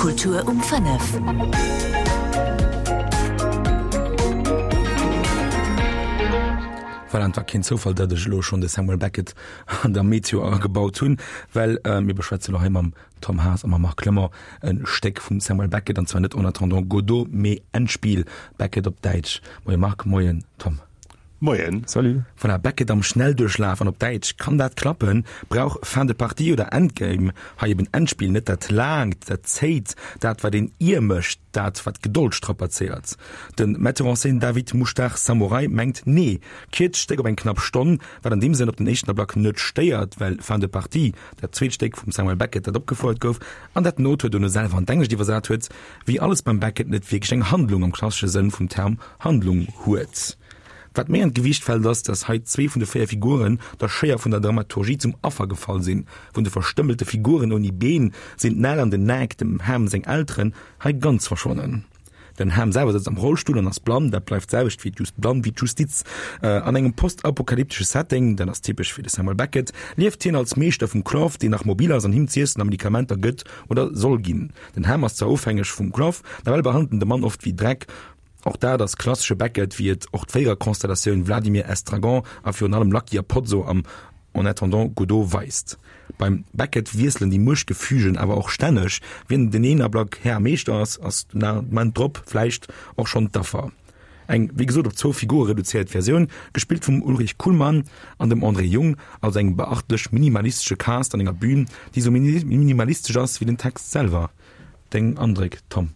Kultur um 5. Voilà, et war keen Zoufall, datt ech elo schonn de Samuel Beckett an der Meteo agebaut hunn, well mir beschwätzen elo hei mam Tom Haas a mam Marc Clement e Stéck vum Samuel Beckett, an zwar net En attendant Godot, mee Endspiel, Beckett op Däitsch. Moie Marc, moien Tom. Moien. Salut. Voilà, Beckett am Schnellduerchlaf an op Däitsch, kann dat klappen? Brauch Fin de partie oder Endgame hei eben Endspiel net dat Laangt, dat Zéit, dat wat een ier mécht, dat wat d'Gedold strapazéiert? De Metteur en scène David Mouchtar Samurai mengt nee, kierzt d'Stéck op eng knapp Stonn, wat an deem Sënn op den éischten Ablack net stéiert, well Fin de partie, dat zweet Stéck vum Samuel Beckett, dat opgefouert gouf an dat den Auteur dono selwer an d'Englescht iwwersat huet, wéi alles beim Beckett net wierklech eng Handlung am klassesche Sënn vum Term Handlung huet. Wat méi an d'Gewiicht fält ass, datt hei zwee vun de 4 Figuren der Schéier vun der Dramaturgie zum Affer gefall sinn. Vun de verstëmmelte Figuren ouni Been sinn d'Nell an den Nag, dem Ham seng Elteren, hei ganz verschwonnen. Den Ham selwer sëtzt am Rollstull an ass blann, dat bleift d'selwecht wéi d'Just blann wéi d'Justiz. An engem postapokalyptesche Setting, dat ass typesch fir de Samuel Beckett, lieft hien als Meeschter vum Clough, deen nach mobil ass an him z'iessen a Medikamenter gëtt oder soll ginn. Den Ham ass zwar ofhängeg vum Clough, nawell behandelt en de Mann oft wéi Dreck. Och dat ass klassesche Beckett, wéi et och d'Véiererkonstellatioun Vladimir Estragon a virun allem Lucky a Pozzo am En attendant Godot weist. Beim Beckett wiesselen déi Muechtgefügen awer och stänneg, wien den een Ablack Här a Meeschter ass, ass den Ament drop vläicht och schonn d'Affer. Eng, wéi gesot, op zwou Figure reduzéiert Versioun, gespillt vum Ulrich Kuhlmann an dem André Jung, also engem beachtlech minimalistesche Cast an enger Bühn, déi esou minimalistesch ass wéi den Text selwer. Deng Andréck, Tom?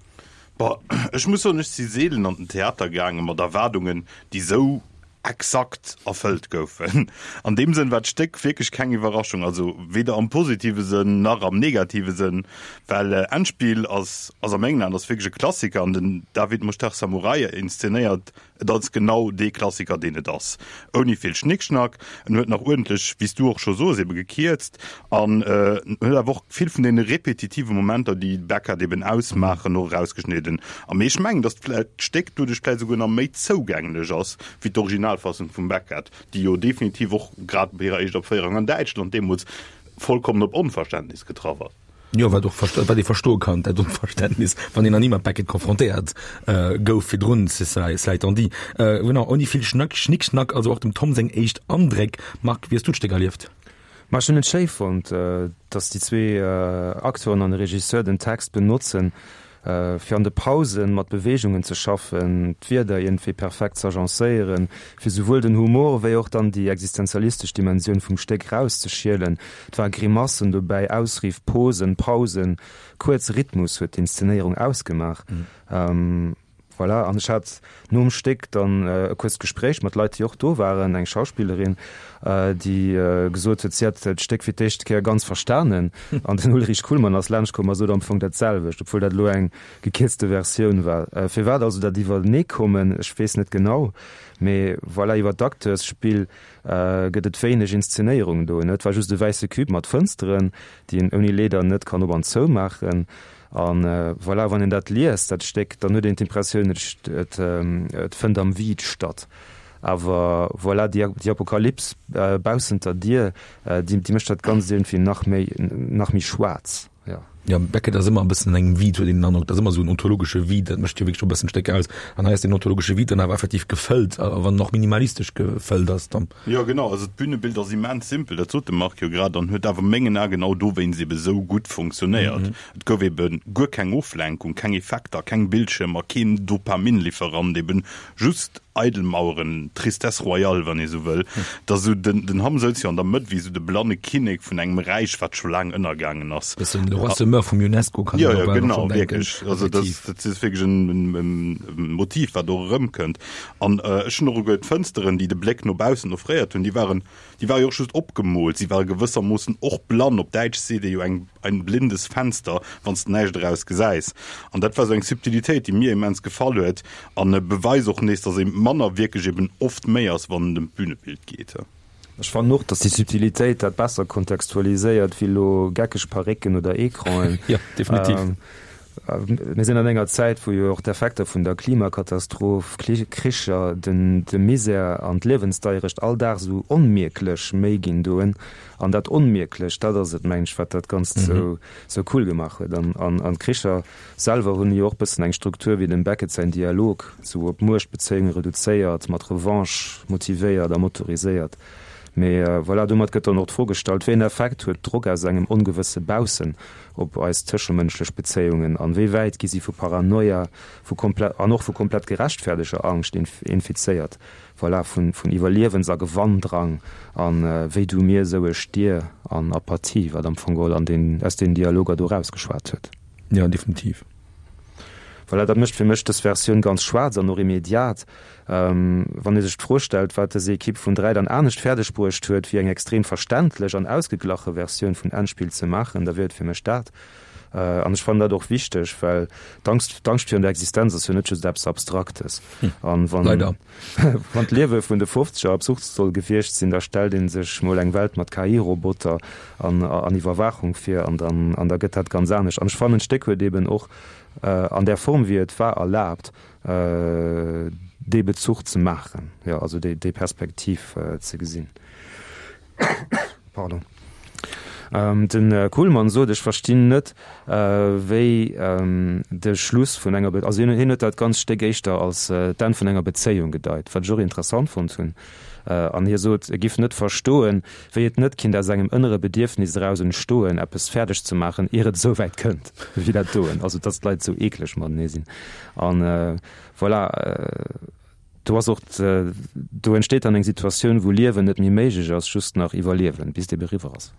Boah, ech muss soen, ech si seelen an den Theater gaange mat Erwaardungen, déi esou exakt erfëllt goufen. An deem Sënn war d'Stéck wierklech keng Iwwerraschung, also weder am positive Sënn nach am negative Sënn, well Endspiel ass ass a mengen Aen ass wierklech e Klassiker an den David Moshtagh Samurai inszenéiert et als genau dee Klassiker deen et ass, ouni vill Schnickschnack. En huet nach uerdentlech, wéi s du och scho soos, ebe gekierzt an en huet awer och vill vun deene repetitive Momenter, déi Beckett eben ausmaachen, och erausgeschnidden. A mee ech mengen, datt d'Stéck doduerch vläicht esouguer nach méi zougänglech ass wéi d'Originalfassung vum Beckett, déi jo definitiv och grad bei hirer éischter Opféierung an Däitschland deemools vollkommen op Onverständnis getraff ass. Jo, wat och wat ee verstoe kann, dat Onverständnis, wann een nach ni mat Beckett konfrontéiert gouf virdrun, cela étant dit. Genau, ouni vill Schnack, Schnickschnack, also och dem Tom seng éischt Andréck. Marc, wéi hues du d'Stéck erlieft? Ma ech hunn et schéi fonnt, datt déi zwee Acteuren an de Regisseur den Text benotzen, fir an de Pausen mat Beweegungen ze schaffen, d'Wierder iergendwéi perfekt z'agencéieren, fir souwuel den Humor wéi och dann déi existenzialistesch Dimensioun vum Stéck rauszeschielen. Et ware Grimassen dobäi, Ausriff, Posen, Pausen, kuerz, Rhythmus huet d'Inszenéierung ausgemaach. Voilà, an ech hat nom Stéck dann e kuerzt Gespréich mat Leit, déi och do waren, eng Schauspillerin, déi gesot huet, si hätt d'Stéck fir d'éischt Kéier ganz verstanen. An den Ulrich Kuhlmann ass laanscht komm a sot am Fong dat selwecht, obwuel dat elo eng gekierzte Versioun war. Firwat also dat Iwwerneekommen, ech weess net genau, mee voilà, iwwer d'Acteursspill gëtt et wéineg Inszenéierung do. Et war just e wäisse Cube mat Fënsteren, déi een ouni Leeder net kann op an zoumaachen. An voilà, wann een dat liest, dat Stéck, dann huet een d'Impressioun, et et fënnt am Vide statt. Awer voilà, déi déi Apokalyps baussent der Dier, déi déi mécht dat Ganzt iergendwéi nach méi nach méi schwaarz, jo. Jo, Beckett ass ëmmer e bëssen an engem Vide, huet een den Androck. Dat ass ëmmer esou en ontologesche Vide, dat mécht jo wierklech och e bëssen d'Stéck aus. An hei ass deen ontologesche Vide dann awer effektiv gefëllt, a wann en och minimalistesch gefëllt ass dann. Jo, genau. Also d'Bünebild ass immens simpel, dat sot de Marc jo grad, an huet awer mengen Ae genau dowéinst ebe sou gutt funktionéiert. Et gouf eben guer keng Oflenkung, keng Effekter, keng Bildschirmer, keen Dopaminlieferant, eben just eidel Maueren, Tristesse royale, wann ee sou wëll. Et ass esou, den, den Hamm souz jo an der Mëtt wéi esou de blanne Kinnek vun engem Räich, wat scho laang ënnergaangen ass. Bëssen Le Roi se meurt vum Ionesco, kann een och bal och schonn denken. Jo, jo, genau, wierklech. Also dat, dat ass wierklech en, en, en Motiv, wat och erëmkënnt. An ech hunn och esouguer d'Fënsteren, déi de Bléck no baussen offréiert hunn, déi waren, Déi ware jo och just opgemoolt, si ware gewëssermoossen och blann, op Däitsch seet ee jo eng ein blindes Fenster, wann s de näischt eraus gesäis. An dat war esou eng Subtilitéit, déi mir immens gefall huet an e Beweis och nees, datt ee manner wierklech eben oft méi ass, wann et ëm d'Bünebild geet. Ech fannen och, datt déi Subtilitéit dat besser kontextualiséiert wéi elo geckeg Parécken oder Ecranen. Jo, definitiv. Mir sinn an enger Zäit, wou jo och d'Effekter vun der Klimakatastroph, Kricher, de Misär an d'Liewensdeierecht all Dag esou onmierklech méi ginn doen. An dat Onmierklecht, dat ass et, mengen ech, wat dat Ganzt esou cool gemaach huet. An d'Kricher selwer hunn jo och bëssen eng Struktur wéi dem Beckett säin Dialog, esou op Muechtbezéiunge reduzéiert, mat Revanche motivéiert a motoriséiert. Mee voilà, domat gëtt dann och d'Fro gestallt, Wéi en Effekt huet Drock aus engem ongewësse Baussen op eis tëschemënschlech Bezéiungen an wéi wäit gi si vu Paranoia, vu komplett an och vu komplett gerechtferteger Angscht infizéiert, voilà, vun Iwwerliewens a Gewanndrang an wéi du mir, esou ech dir an Apathie, wat am Fong geholl an den aus den Dialoger do erausgeschwat huet. Jo, definitiv. Voilà, dat mécht fir mech dës Versioun ganz schwaarz an och immediat. Wann ee sech d'Fro stellt, wat dës Ekipp vun 3 dann anescht fäerdeg bruecht huet, wéi eng extrem verständlech an ausgeglache Versioun vun Endspill ze maachen, da wier et fir mech dat. An ech fannen dat och wichteg, well d'Angst, d'Angscht virun der Existenz ass jo net just eppes Abstraktes. An wann, Leider. wann d'Liewe vun de Fofzeger absurd soll gewiescht sinn, da stellt ee sech mol eng Welt mat KI-Roboter an, an Iwwerwaachung vir an dann, an da gëtt dat ganz anescht. An ech fannen, d'Stéck huet eben och an där Form wéi et war erlaabt, dee Bezuch ze maachen, jo, also déi, déi Perspektiv ze gesinn. Pardon. Den Kuhlmann sot, ech verstinn net, wéi de Schluss vun enger, also hien huet dat ganzt Stéck éischter als d'Enn vun enger Bezéiung gedeit, wat ech och interessant fonnt hunn. An hie sot, e giff net verstoen, wéi et net kinnt aus engem ënnere Bedierfnis eraus entstoen, eppes fäerdeg ze maachen, ier et esou wäit kënnt wéi dat doen, also datt d'Leit esou eekleg matenee sinn. An voilà. Do ass och, do entsteet dann eng Situatioun, wou Liewen net méi méiglech ass, just nach Iwwerliewen, bis et ebe eriwwer ass.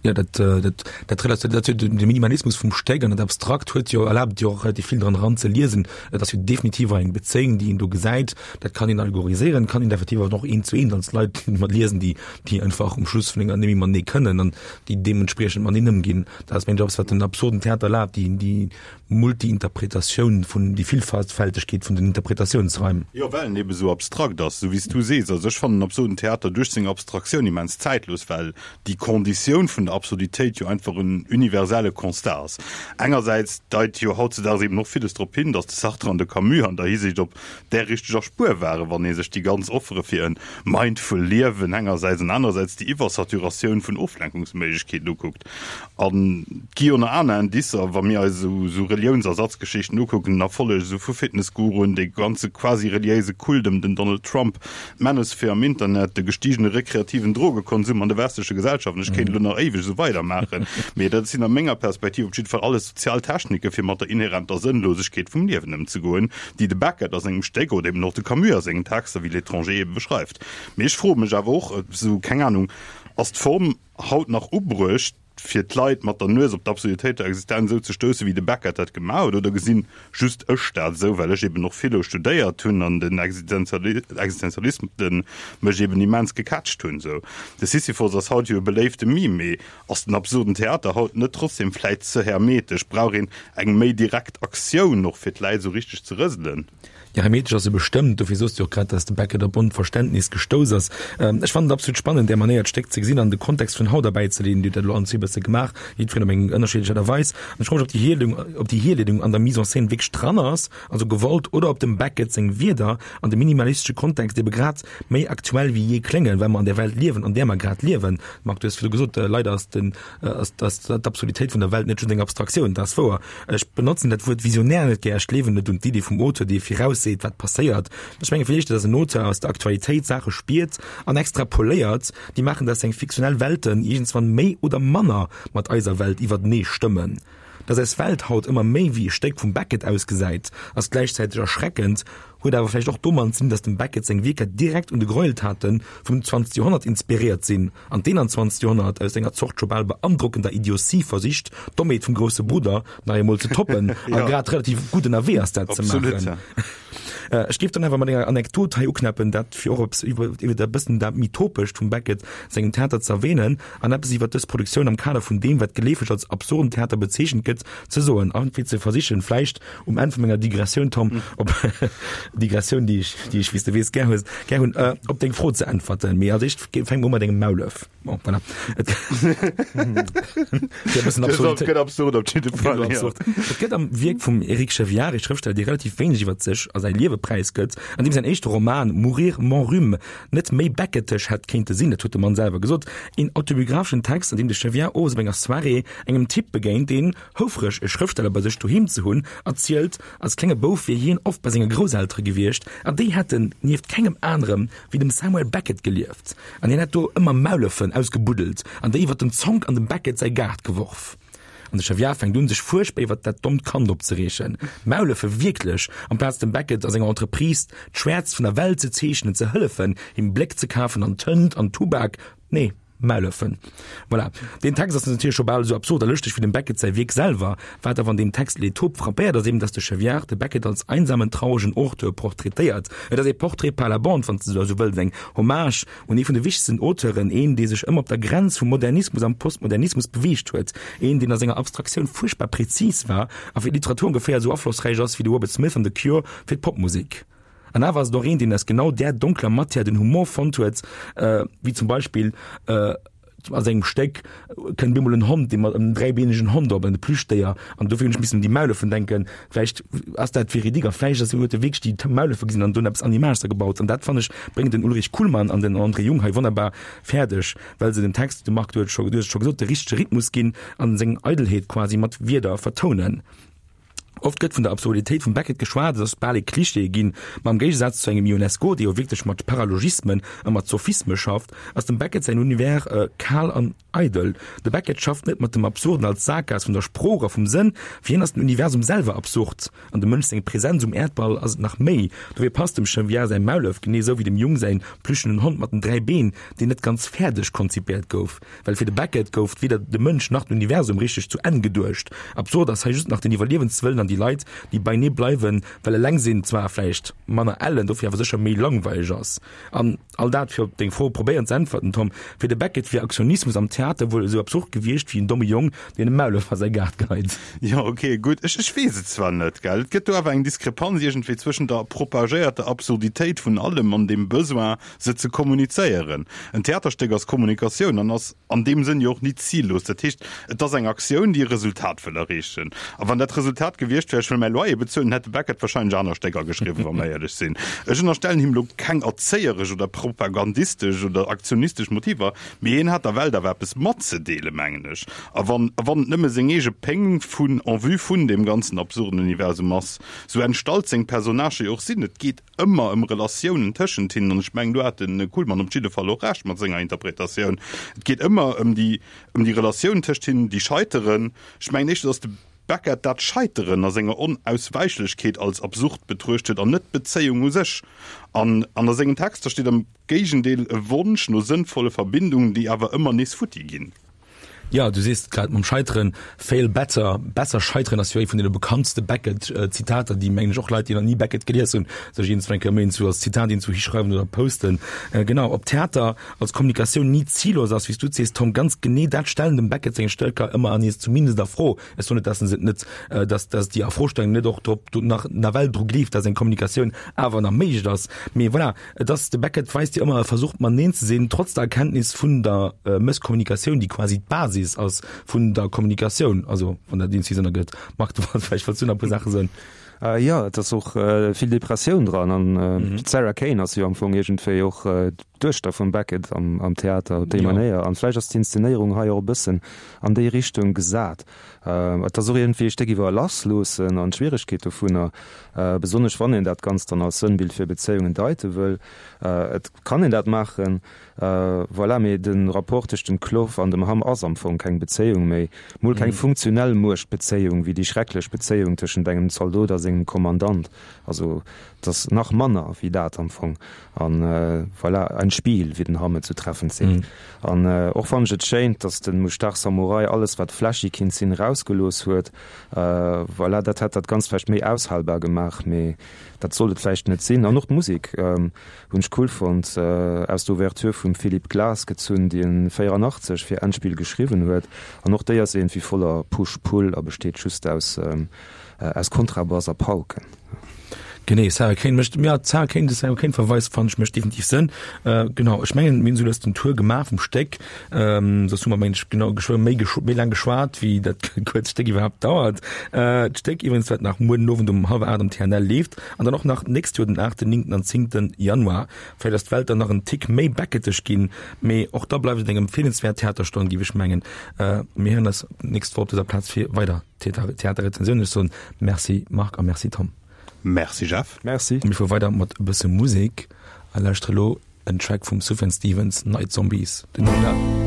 Jo, dat, dat, dat relativiert dat jo de Minimalismus vum Stéck an dat Abstrakt huet jo, erlaabt jo och relativ vill dran eran ze liesen. Et ass jo definitiv och eng Bezéiung, déi een do gesäit. Dat kann een allegoriséieren, kann een effektiv awer och eent zu eent als Leit mat liesen, déi, déi einfach um Schluss vun enger net méi matenee kënnen an déi deementspriechend mateneen ëmginn. Dat ass mengen ech eppes, wat den absurden Theater erlaabt, déi, déi Multi-Interpretatioun vun, déi Villfältegkeet vun den Interpretatiounsraim. Jo, well en ebe sou abstrakt ass, sou wéi s du sees. Also ech fannen den absurden Theater duerch seng Abstraktioun immens zäitlos, well déi Konditioun vun der Absurditéit jo einfach en universelle Constat ass. Engersäits deit jo hautzedaags eben och villes drop hin, datt de Sartre an de Camus an der Hisiicht op där richteger Spuer waren, wann ee sech déi ganz Offere fir e mindful Liewen engersäits an anerersäits déi Iwwersaturatioun vun Oflenkungsméiglechkeeten ukuckt. An et gi jo nach aner Indicer, wa mir eis esou esou Reliounsersatzgeschichten ukucken, den Erfolleg esou vu Fitnessguruen, dee ganze quasi-reliéise Kult ëm den Donald Trump, d'Manosphere am Internet, de gestigene rekreativen Drogekonsum an de westleche Gesellschaften, ech kéint elo nach éiweg esou weidermaachen, mee dat sinn a menger Perspektiv op jidde Fall alles sozial Technike fir mat der inhärenter Sënnlosegkeet vum Liewen ëmzegoen, déi de Beckett a sengem Stéck oder eben och de Camus a sengen Texter wéi L'Étranger ebe beschreift. Mee ech froe mech awer och esou, keng Anung, ass d'Form haut nach ubruecht, fir d'Leit mat der Nues op d'Absurditéit der Existenz esou ze stoussen, wéi de Beckett dat gemaach huet, oder gesinn just ech dat esou, well ech eben och Philo studéiert hunn an den Existenzialismus mech eben immens gecatcht hunn? Sou, de Sisyphos ass haut jo e beléifte Meme, mee ass den absurden Theater haut net trotzdem vläit ze hermetesch? Brauch een eng méi direkt Aktioun och, fir d'Läit esou richteg ze rëselen? Jo, hermetesch ass e bestëmmt. Dofir soos de jo och grad, dass de Beckett op Onverständnis gestouss ass. Ech fannen et absolut spannend, där Manéier d'Stéck ze gesinn an de Kontext vun haut erbäizeleeën. Dir hutt dat elo allen zwee e bësse gemaach, jiddwereen op eng ënnerschiddlech Aart a Weis. An ech froe mech, ob déi Hierleedung, ob déi Hierleedung an der Mise en scène wierklech dran ass, also gewollt, oder ob dem Beckett seng Wierder an dem minimalistesche Kontext ebe grad méi aktuell wéi jee kléngen, well mer an där Welt liewen, an där mer grad liewen. Marc, du hues virdu gesot, leider ass den, ass, ass d'Absurditéit vun der Welt net just eng Abstraktioun, dat ass wouer. Ech benotzen dat Wuert visionär net gär, ech gleewen net un d'Iddi vum Auteur, dee virausseet, wat passéiert. Ech menge villäicht, dass en Auteur aus der Aktualitéit Saache spiert an extrapoléiert, déi maachen, dass seng fiktionell Welten iergendswann méi oder manner mat eiser Welt iwwertenee stëmmen. Dass eis Welt haut ëmmer méi wéi e Stéck vum Beckett ausgesäit, ass gläichzäiteg erschreckend, huet awer vläicht och domat ze dinn, dass dem Beckett seng Wierker direkt un de Gräueltate vum 20. Joerhonnert inspiréiert sinn an d'21. Joerhonnert aus enger Zort scho bal beandrockender Idiotie versicht, d'Dommheet vum grousse Brudder nach eemol ze toppen a grad relativ gutt ënnerwee ass, dat ze maachen. Ech géif dann awer mat enger Anekdot hei uknäppen, dat fir och eppes iwwer iwwer e bëssen dat méi Topescht vum Beckett sengem Theater ze erwähnen an eppes iwwer dës Produktioun am Kader vun deem, wat geleefeg als absurden Theater bezeechent gëtt, ze soen a fir ze versichen, vläicht um Enn vu menger Digressioun, Tom, op Digressioun, déi ech, déi ech, wéi s de weess, gär hues, gär hunn, op deng Fro ze äntwerten. Mee als éischt fänke mer u mat engem Maulef. Bon, voilà. Et Fir e bëssen Absurditéit. Gëtt absurd op jidde Fall. Gëtt absurd. Et gëtt am Wierk vum Éric Chevillard ee Schrëftsteller, dee relativ wéineg iwwer sech a säi Liewe präisgëtt, an deem säin éischte Roman Mourir mon rhume net méi Beckettesch hätt kéinte sinn, dat huet de Mann selwer gesot. Een autobiographeschen Text, an deem de Chevillard owes op enger Soirée engem Typ begéint, deen, houfreg e Schrëftsteller bei sech doheem ze hunn, erzielt, als klenge Bouf wier hien oft bei senge Grousseltere gewiescht an déi hätten nieft kengem anerem wéi dem Samuel Beckett gelieft an hien hätt do ëmmer Maulëffen ausgebuddelt an déi iwwer den Zonk an dem Beckett säi Gaart geworf. An de Chevillard fänkt un, sech fuerchtbar iwwer dat dommt Kand opzereegen. Maulëffe, wierklech? Amplaz dem Beckett a senger Entreprise d'Schwäerzt vun der Welt ze zeechnen, ze hëllefen, him Bléck ze kafen an Tënt an Tubak, nee. Maulëffen. Voilà. Deen Text ass natierlech scho bal esou absurd a lëschteg wéi dem Beckett säi Wierk selwer. Wat awer an deem Text Les Taupes frappéiert, ass eben, dass de Chevillard de Beckett als einsamen, trauregen Auteur portraitéiert. Et ass ee Portrait par la bande, wann s de esou wëlls, eng Hommage un ee vun de wichtegsten Auteuren, een, dee sech ëmmer op der Grenz vum Modernismus am Postmodernismus beweegt huet, een, deen a senger Abstraktioun fuerchtbar prezis war a fir d'Literatur ongeféier esou aflossräich ass wéi de Robert Smith an The Cure fir d'Popmusek. An awer ass et och een, deen aus genau där donkler Matière den Humor fonnt huet, wéi zum Beispill a sengem Stéck kënnt bemol en Hond, dee mat en dräibeenegen Hond op, en Plüschdéier, an dofir hunn ech missen un déi Maulëffen denken. Vläicht ass dat véridique a vläicht ass huet e wierklech déi Maulëffe gesinn an dunn eppes an Image gebaut. An dat fannen ech bréngen den Ulrich Kuhlmann an den André Jung hei wonnerbar fäerdeg, well se dem Text, de Marc, du huet scho, du hues et scho gesot, de richtege Rhythmus ginn an seng Eidelheet quasi mat Wierder vertounen. Oft gëtt vun der Absurditéit vum Beckett geschwat, et ass bal e Klischee ginn, ma am Géigesaz zu engem Ionesco, dee jo wierklech mat Paralogismen a mat Sophisme schafft, ass dem Beckett säin Univers kal an eidel. De Beckett schafft net mat dem Absurden als Saakgaass vun der Sprooch a vum Sënn, fir hien ass den Universum selwer absurd an dem Mënsch seng Präsenz um Äerdball ass et nach méi. Dofir passt dem Chevillard säi Maulef genee sou wéi dem Jung säin plüschenen Hond mat den 3 Been, deen net ganz fäerdeg konzipéiert gouf. Well fir de Beckett gouf weder de Mënsch nach d'Universum richteg zu Enn geduecht. Absurd ass hei just nach den Iwwerliewenswëllen an déi Leit, déi beinee bleiwen, well eleng sinn zwar vläicht manner ellen, dofir awer sécher méi langweileg ass. An all dat, fir op deng Fro probéieren ze äntwerten, Tom, fir de Beckett wier Aktionismus am Theater wuel esou absurd gewiescht wéi en domme Jong, deen e Maulef a säi Gaart geheit. Jo, ok, gutt. Ech, ech weess et zwar net, gell. Et gëtt do awer eng Diskrepanz iergendwéi zwëschent der propagéierter Absurditéit vun allem an dem Besoin, se ze kommunizéieren. En Theaterstéck ass Kommunikatioun an ass an deem Sënn jo och nit zillos. Dat heescht, et ass eng Aktioun, déi e Resultat wëll erreechen. A wann dat Resultat gewiescht wär, ech wëll mäi Loyer bezuelen, hätt de Beckett wahrscheinlech aner Stécker geschriwwen, wa mer éierlech sinn. Ech ënnerstellen him elo keng erzéieresch oder propagandistesch oder aktionistesch Motiver, mee hien hat der Welt awer eppes matzedeelen, mengen ech. A wann, a wann et nëmme seng eege Péng vun, en vue vun deem ganzen absurden Universum ass, sou entstallt seng Personnagë jo och sinn. Et geet ëmmer ëm Relatiounen tëschent hinnen, an ech mengen, do hat de Kuhlmann op jidde Fall och Recht mat senger Interpretatioun, et geet ëmmer ëm déi, ëm déi Relatiounen tëscht hinnen, déi scheiteren. Ech mengen éischter, datt de Beckett dat Scheiteren a senger Onauswäichlechkeet als absurd betruecht huet an net d'Bezéiung u sech. An an a sengen Texter steet am Géigendeel e Wonsch no sënnvolle Verbindungen, déi awer ëmmer nees futti ginn. Jo, du sees et grad mam Scheiteren, fail better, besser scheiteren ass jo ee vun deene bekanntste Beckett-Zitater, déi, mengen ech, och Leit, déi nach ni Beckett gelies hunn, sech iergendswann eng Kéier méi iergendwou als Zitat iergendwou hischreiwen oder posten. Genau, ob Theater als Kommunikatioun ni zillos ass, wéi s du et sees, Tom, ganz genee dat stellen dem Beckett seng Stécker ëmmer an nees zumindest a Fro. Ech soen net, dass se et net, dass, dass déi Afrostellung net och drop, do nach nawell dru gleeft, dass eng Kommunikatioun awer nach méiglech ass, mee voilà. Et ass, de Beckett weist jo ëmmer, e versucht mateneen ze sinn, trotz der Erkenntnis vun der Mësskommunikatioun, déi quasi d'Basis ass vun der Kommunikatioun, also wann dat iergendwéi Sënn ergëtt. Marc, du wolls vläicht wollts du nach e puer Saache soen? Jo, et ass och vill Depressioun dran an d'Sarah Kane ass jo am Fong iergendwéi och d'Duechter vum Beckett am Theater op déi Manéier an vläicht ass d'Inszenéierung hei och e bëssen an déi Richtung gesat. Et ass och iergendwéi e Stéck iwwer Lassloossen an d'Schwieregkeet dovunner, besonnesch wann een dat Ganzt dann als Sënnbild fir Bezéiungen deite wëll. Et kann een dat maachen, voilà, mee de Rapport tëscht dem Clov an dem Hamm ass am Fong keng Bezéiung méi, mol keng funktionell Muechtbezéiung wéi déi schrecklech Bezéiung tëschent engem Zaldot a sengem Kommandant. Also et ass nach manner wéi dat am Fong. An voilà. Endspiel, wéi den Hammett sou treffend seet. An och fannen ech et schéin, dass de Mouchtar Samurai alles wat flashy kinnt sinn erausgelooss huet. Voilà, dat hätt dat Ganzt vläicht méi aushalbar gemaach, mee dat sollt et vläicht net sinn. An och d'Musek hunn ech cool fonnt, aus der Ouverture vum Philip Glass gezunn, déi en 84 fir Endspiel geschriwwen huet. An och déi ass iergendwéi voller Push-Pull a besteet just aus aus Kontrabass a Pauken. Genee, Sarah Kane mécht, ja, d'Sarah Kane, de Sarah Kane Verweis fannen ech mécht definitiv Sënn. Äh, genau, ech mengen, mir hunn esou lues den Tour gemaach vum Stéck. Ähm, soss hu mer, mengen ech, genau geschwë méi geschw méi laang geschwat, wéi dat kuerzt Stéck iwwerhaapt dauert. Äh, d'Stéck iwwregens, wat nach muer den Owend um hallwer 8 am TNL leeft an dann och nach d'nächst Joer den 8., 9. an 10. Januar. Vläicht ass d'Welt dann nach en Tick méi Beckettesch ginn, mee och da bleift et eng empfeelenswäert Theaterstonn, géif ech mengen. Äh, mir héieren eis d'nächst Woch op dëser Plaz fir weider Theaterrezensioun. Ech soen Merci Marc a Merci Tom. Merci Jeff. Merci. Mir fuere weider mat e bësse Musek a lauschtere lo en Track vum Sufjan Stevens, Night Zombies, den Numm.